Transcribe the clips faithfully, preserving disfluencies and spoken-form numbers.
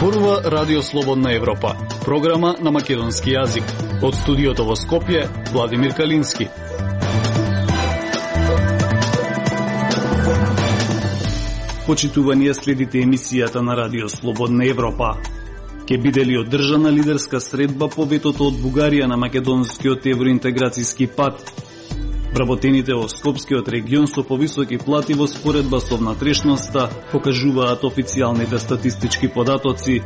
Зборува Радио Слободна Европа, програма на македонски јазик. Од студиото во Скопје, Владимир Калински. Почитувани, следите емисијата на Радио Слободна Европа. Ке биде ли одржана лидерска средба по ветото од Бугарија на македонскиот евроинтеграцијски пат? Вработените во Скопскиот регион со повисоки плати во споредба со внатрешноста покажуваат официјалните статистички податоци.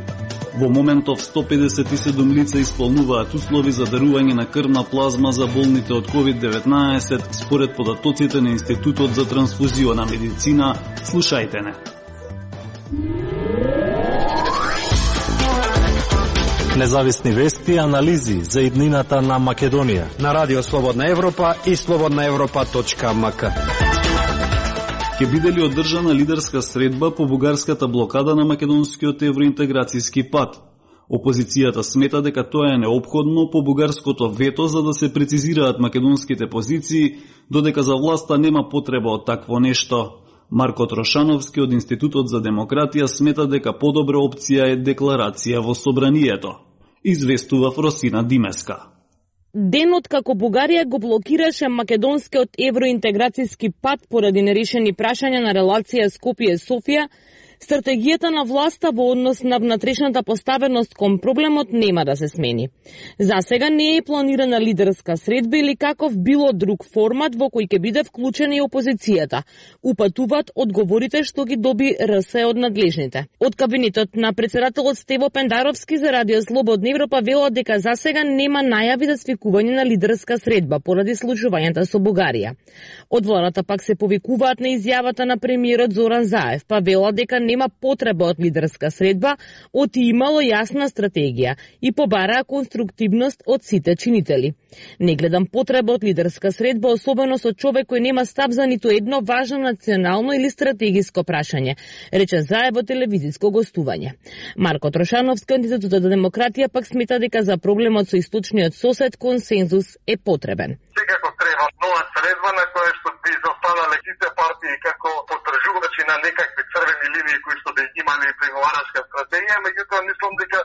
Во моментов сто педесет и седум лица исполнуваат услови за дарување на крвна плазма за болните од ковид деветнаесет, според податоците на Институтот за трансфузиона медицина. Слушајте не. Независни вести и анализи за иднината на Македонија на Радио Слободна Европа и слободна европа точка ем ка. Ке биде ли одржана лидерска средба по бугарската блокада на македонскиот евроинтеграцијски пат? Опозицијата смета дека тоа е неопходно по бугарското вето за да се прецизираат македонските позиции, додека за власта нема потреба од такво нешто. Марко Трошановски од Институтот за демократија смета дека подобра опција е декларација во собранието. Известува Фросина Димеска. Денот како Бугарија го блокираше македонскиот евроинтеграцијски пат поради нерешени прашања на релација Скопје-Софија, стратегијата на власта во однос на внатрешната поставеност кон проблемот нема да се смени. За сега не е планирана лидерска средба или каков било друг формат во кој ќе биде вклучена и опозицијата. Упатуваат одговорите што ги доби ар ес од надлежните. Од кабинетот на председателот Стево Пендаровски за Радио Слободна Европа велат дека за сега нема најави за свикување на лидерска средба поради случувањата со Бугарија. Од владата пак се повикуваат на изјавата на премиерот Зоран Заев, па велат дека нема потреба од лидерска средба, оти имало јасна стратегија и побараа конструктивност од сите чинители. Не гледам потреба од лидерска средба, особено со човек кој нема став за ниту едно важно национално или стратегиско прашање, рече Заев во телевизиско гостување. Марко Трошановски од Институтот за демократија пак смета дека за проблемот со источниот сосед консензус е потребен. Секако треба нова средба на која што би застанале сите партии како потржувачи на некакви црвени линии кои што би имали преговарачка стратегија, меѓутоа мислам дека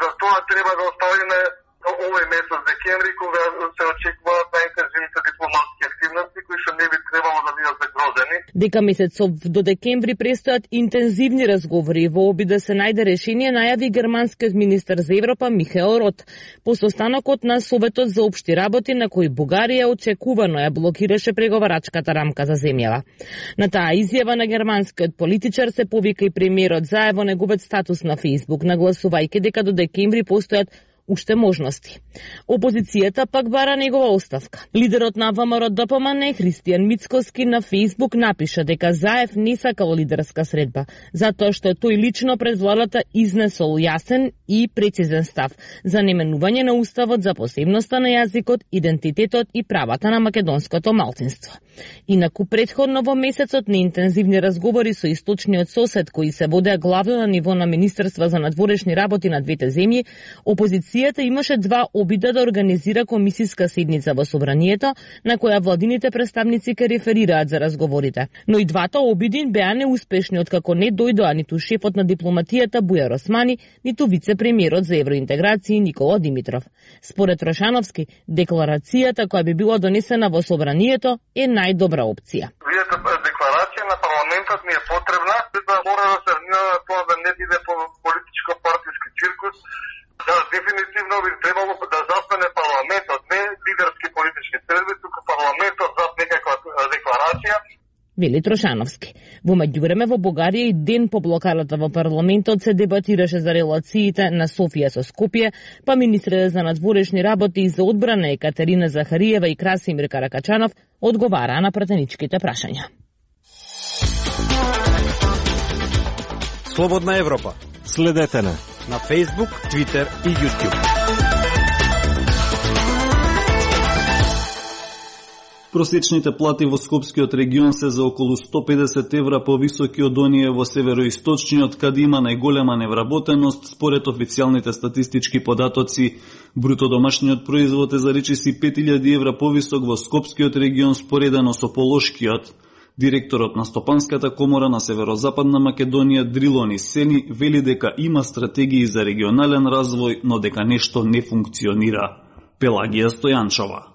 за тоа треба да оставиме овој месец декември, кога се очекуваат најинтензивните дипломатски активности кои што не би требало да бидат загрозени. Дека месецов до декември престојат интензивни разговори во обид да се најде решение, најави германскиот министер за Европа Михаел Рот по состанокот на Советот за општи работи на кој Бугарија очекувано ја блокираше преговарачката рамка за земјава. На таа изјава на германскиот политичар се повика и премиерот Заев во неговиот статус на Фејсбук, нагласувајќи дека до декември постојат уште можности. Опозицијата пак бара негова оставка. Лидерот на ВМРО Д П М Н Христијан Мицкоски на Фејсбук напиша дека Заев не сакал лидерска средба, затоа што тој лично пред владата изнесол јасен и прецизен став за неменување на уставот за посебноста на јазикот, идентитетот и правата на македонското малцинство. Инаку претходно во месецот на интензивни разговори со источниот сосед кои се водеа главно на ниво на Министерства за надворешни работи на двете земји, опозицијата имаше два обида да организира комисиска седница во собранието на која владините представници ке реферираат за разговорите. Но и двата обиди беа неуспешни откако не дојдоа ниту шефот на дипломатијата Бујар Османи, ниту вице-премиерот за евроинтеграција Никола Димитров. Според Трошановски, декларацијата која би била донесена во собранието е најдобра опција. Декларација на парламентот ни е потребна, да мора да се внимава тоа да не биде политичко партиски циркус. Да, дефинитивно би требало да застане парламентот, не лидерски политички средби, туку парламентот за некаква декларација. Вели Трошановски. Во меѓувреме во Бугарија и ден по блокадата во парламентот се дебатираше за релациите на Софија со Скопје, па министрите за надворешни работи и за одбрана Екатерина Захариева и Красимир Каракачанов одговараа на пратеничките прашања. Слободна Европа. Следете на на Facebook, Twitter и YouTube. Просечните плати во Скопскиот регион се за околу сто педесет евра повисоки од оние во североисточниот, каде има најголема невработеност, според официјалните статистички податоци. Бруто домашниот производ е за речиси пет илјади евра повисок во Скопскиот регион споредено со Полошкиот. Директорот на Стопанската комора на Северозападна Македонија Дрилони Сени вели дека има стратегии за регионален развој, но дека нешто не функционира. Пелагија Стојанчова.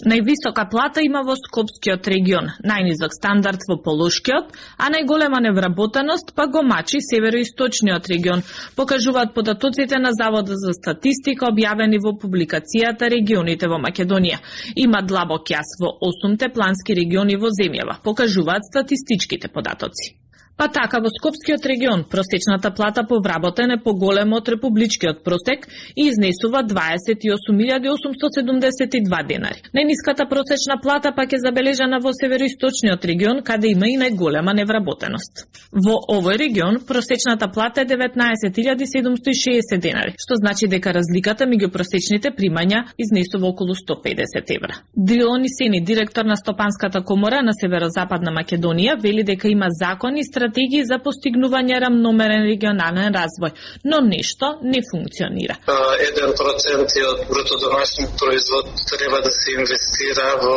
Највисока плата има во Скопскиот регион, најнизок стандард во Полошкиот, а најголема невработеност па го мачи Североисточниот регион, покажуваат податоците на Заводот за статистика објавени во публикацијата Регионите во Македонија. Има длабок јас во осумте плански региони во земјава, покажуваат статистичките податоци. Па така во Скопскиот регион просечната плата по вработен е поголема од републичкиот просек и изнесува дваесет и осум илјади осумстотини седумдесет и два денари. Најниската просечна плата пак е забележана во Североисточниот регион, каде има и најголема невработеност. Во овој регион просечната плата е деветнаесет илјади седумстотини и шеесет денари, што значи дека разликата меѓу просечните примања изнесува околу сто педесет евра. Дрилони Сени, директор на Стопанската комора на Северозападна Македонија, вели дека има закони и стратегии за постигнување рамномерен регионален развој, но нешто не функционира. еден процент од бруто домашниот производ треба да се инвестира во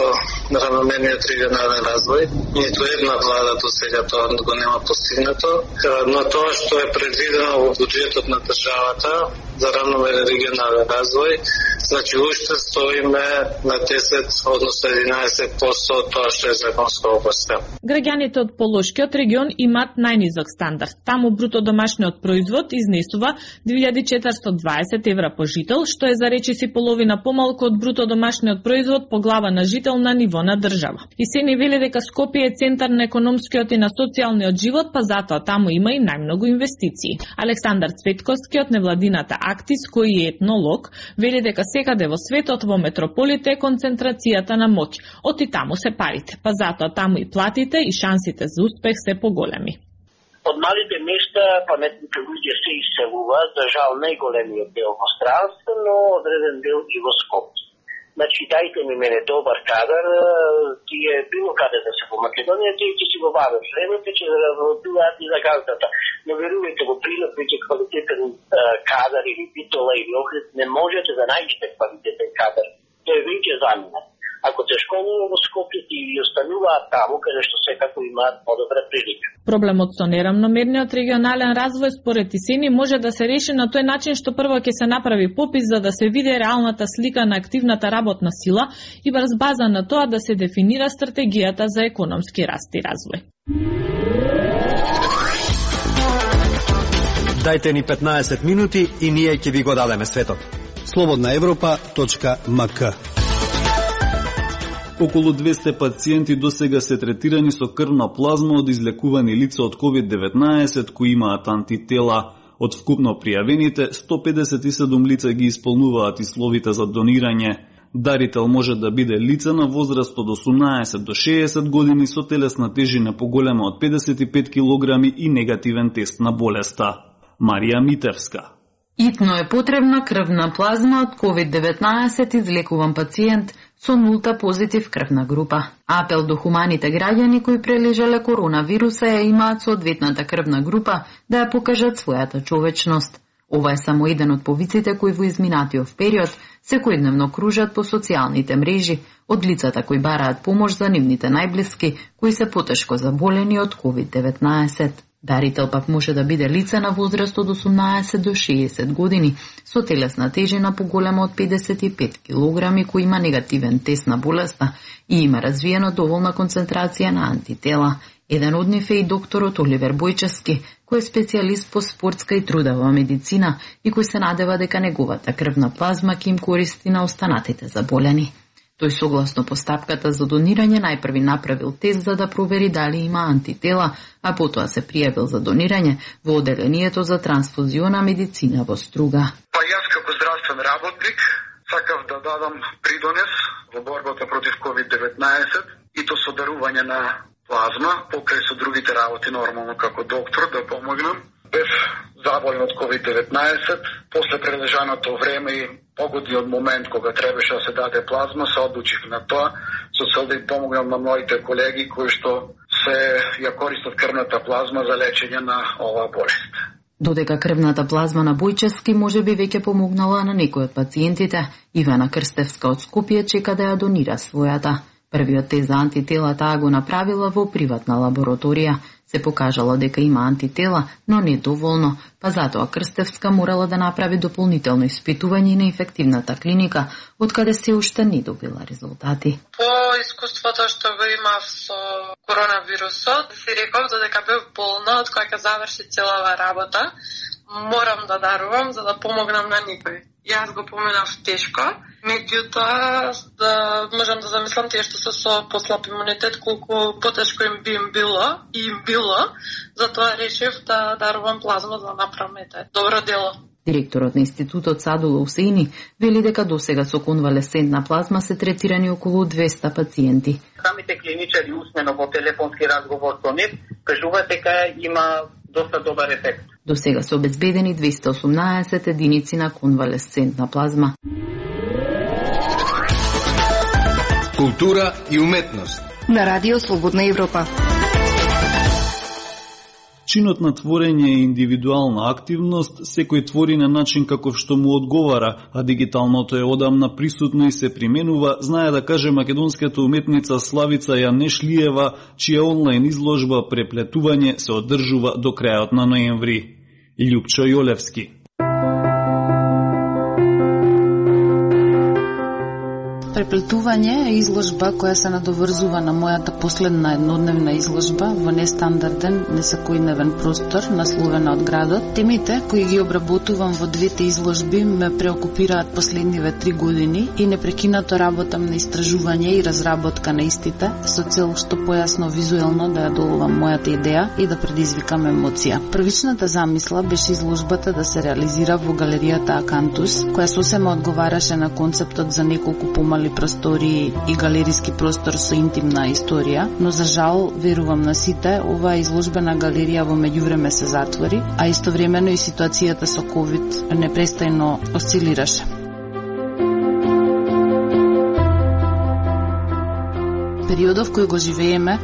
рамномерниот регионален развој. Ниту една влада до сега тоа го нема постигнато, но тоа што е предвидено во буџетот на државата за рамномерен регионален развој, значи уште стоиме на десет, односно единаесет проценти од тоа што е законско опоставено. Граѓаните од Полошкиот регион имаат најнизок стандард. Таму бруто домашниот производ изнесува две илјади четиристотини и дваесет евра по жител, што е за речиси половина помалку од бруто домашниот производ по глава на жител на ниво на држава. И се не вели дека Скопје е центар на економскиот и на социјалниот живот, па затоа таму има и најмногу инвестиции. Александар Цветковски од невладината Актис, кој е етнолог, вели дека секаде во светот во метрополите е концентрацијата на моќ. Оти таму се парите, па затоа таму и платите и шансите за успех се поголеми. Од малите места паметните луѓе се иселуваат, за жал најголемиот дел во странство, но одреден дел и во Скопје. Значи, дајте ми мене добар кадар, тие било каде да се во Македонија, тие ќе си го вадат времето, ќе работуваат и за газдата. Но верувајте во прилог, веќе квалитетен кадар или битола или охрид, не можете да најдете квалитетен кадар. Тој е веќе замина. Ако се школува во Скопје и остануваат таму, каде што секако имаат подобра прилика. Проблемот со нерамномерниот регионален развој според Исени може да се реши на тој начин што прво ќе се направи попис за да се види реалната слика на активната работна сила и врз база на тоа да се дефинира стратегијата за економски раст и развој. Дајте ни петнаесет минути и ние ќе ви го дадеме светот. слободна европа точка ем ка. Околу двесте пациенти досега се третирани со крвна плазма од излекувани лица од ковид деветнаесет кои имаат антитела. Од вкупно пријавените, сто педесет и седум лица ги исполнуваат условите за донирање. Дарител може да биде лице на возраст од осумнаесет до шеесет години со телесна тежина поголема од педесет и пет килограми и негативен тест на болеста. Марија Митевска. Итно е потребна крвна плазма од ковид деветнаесет излекуван пациент со нулта позитив крвна група. Апел до хуманите граѓани кои прележале коронавируса ја имаат соодветната крвна група да ја покажат својата човечност. Ова е само еден од повиците кои во изминатиот период секојдневно кружат по социјалните мрежи од лицата кои бараат помош за нивните најблиски кои се потешко заболени од ковид деветнаесет. Дарител пак може да биде лице на возраст од осумнаесет до шеесет години, со телесна тежина поголема од педесет и пет килограми, кој има негативен тест на болеста и има развиена доволна концентрација на антитела. Еден од нив е и докторот Оливер Бојчевски, кој е специјалист по спортска и трудова медицина и кој се надева дека неговата крвна плазма ќе им користи на останатите заболени. Тој согласно постапката за донирање најпрви направил тест за да провери дали има антитела, а потоа се пријавил за донирање во оделението за трансфузиона медицина во Струга. Па јас како здравствен работник сакав да дадам придонес во борбата против ковид деветнаесет и то со дарување на плазма, покрај со другите работи нормално како доктор да помогнам. Бев заболен од ковид деветнаесет, после прележаното време и погодниот момент кога требаше да се даде плазма, се одлучих на тоа, со цел да им помогнам на моите колеги кои што се ја користат крвната плазма за лечење на оваа болест. Додека крвната плазма на Бојчевски може би веќе помогнала на некој од пациентите, Ивана Крстевска од Скопје чека да ја донира својата. Првиот тест за антитела таа го направила во приватна лабораторија. Се покажало дека има антитела, но не доволно, па затоа Крстевска морала да направи дополнително испитување на инфективната клиника, откаде се уште не добила резултати. По искуството што го имав со коронавирусот, си реков додека бев болна, од кога ќе заврши целава работа, морам да дарувам за да помогнам на никој. Јас го поминав тешко, меѓутоа да можам да замислам тие што се со послаб имунитет колку потешко им би им било и им било, затоа решив да дарувам плазма за да направам ете добро дело. Директорот на институтот Садула Усеини вели дека досега со конвалесцентна плазма се третирани околу двеста пациенти. Самите клиничари усмено во телефонски разговор со нив кажуваат дека има доста добар ефект. До сега се обезбедени двеста и осумнаесет единици на конвалесцентна плазма. Култура и уметност на Радио Слободна Европа. Чинот на творење е индивидуална активност, секој твори на начин каков што му одговара, а дигиталното е одамна присутно и се применува, знае да каже македонската уметница Славица Јанешлиева, чија онлайн изложба Преплетување се одржува до крајот на ноември. Љупчо Јолевски. Преплетување е изложба која се надоврзува на мојата последна еднодневна изложба во нестандарден, несекојдневен простор, насловена од градот. Темите кои ги обработувам во двете изложби ме преокупираат последниве три години и непрекинато работам на истражување и разработка на истите со цел што појасно визуелно да ја доловам мојата идеја и да предизвикам емоција. Првичната замисла беше изложбата да се реализира во галеријата Акантус, која сосема одговараше на концептот за неколку помали простори и галериски простор со интимна историја, но за жал, верувам на сите, оваа изложбена галерија во меѓувреме се затвори, а истовремено и ситуацијата со ковид непрестајно осцилираше. Периодов кој го живееме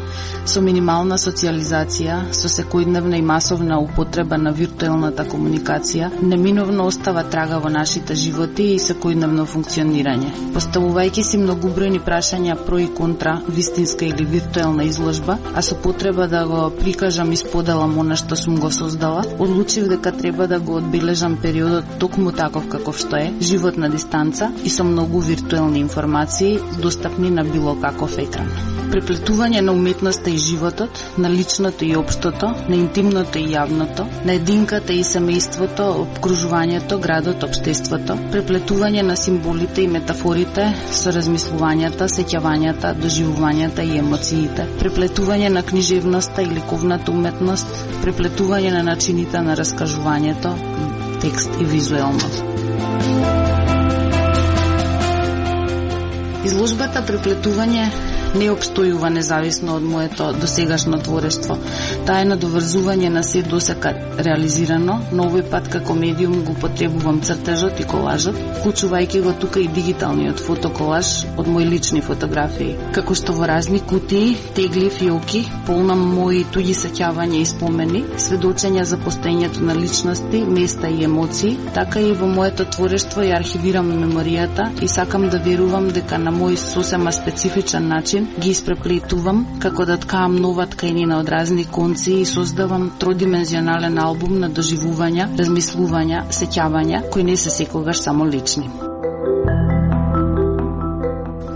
со минимална социализација, со секојдневна и масовна употреба на виртуелната комуникација, неминовно остава трага во нашите животи и секојдневно функционирање. Поставувајќи си многобројни прашања про и контра вистинска или виртуелна изложба, а со потреба да го прикажам и споделам она што сум го создала, одлучив дека треба да го одбележам периодот токму таков каков што е, живот на дистанца и со многу виртуелни информации достапни на било каков екран. Преплетување на уметноста и животот, на личното и општото, на интимното и јавното, на единката и семејството, обкружувањето, градот, општеството, преплетување на символите и метафорите со размислувањата, сеќавањата, доживувањата и емоциите, преплетување на книжевноста и ликовната уметност, преплетување на начините на раскажувањето, текст и визуелност. Изложбата Преплетување не обстојува независно од моето досегашно творештво. Таа е надоврзување на се досека реализирано, но овој пат како медиум го потребувам цртежот и колажот, вклучувајќи го тука и дигиталниот фотоколаж од мои лични фотографии. Како што во разни кутии, тегли, фиоки, полна мои туѓи сеќавања и спомени, сведочења за постоењето на личности, места и емоции, така и во моето творештво ја архивирам меморијата и сакам да верувам дека на мој сосема специфичен начин ги испреплетувам како да ткаам нова тканина од разни конци и создавам тродимензионален албум на доживувања, размислувања, сеќавања кои не се секогаш само лични.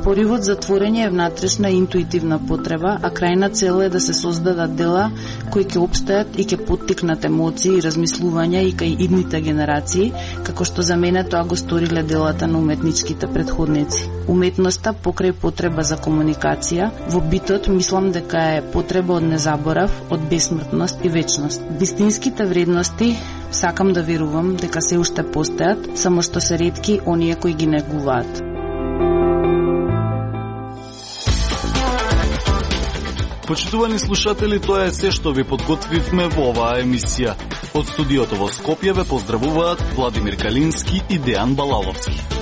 Поривот за творење е внатрешна интуитивна потреба, а крајна цел е да се создадат дела кои ќе опстаат и ќе поттикнат емоции и размислувања и кај идните генерации, како што за мене тоа го сториле делата на уметничките предходници. Уметноста покрај потреба за комуникација, во битот мислам дека е потреба од незаборав, од бесмртност и вечност. Вистинските вредности сакам да верувам дека се уште постојат, само што се ретки оние кои ги негуваат. Почитувани слушатели, тоа е се што ви подготвивме во оваа емисија. Од студиото во Скопје ве поздравуваат Владимир Калински и Дејан Балаловски.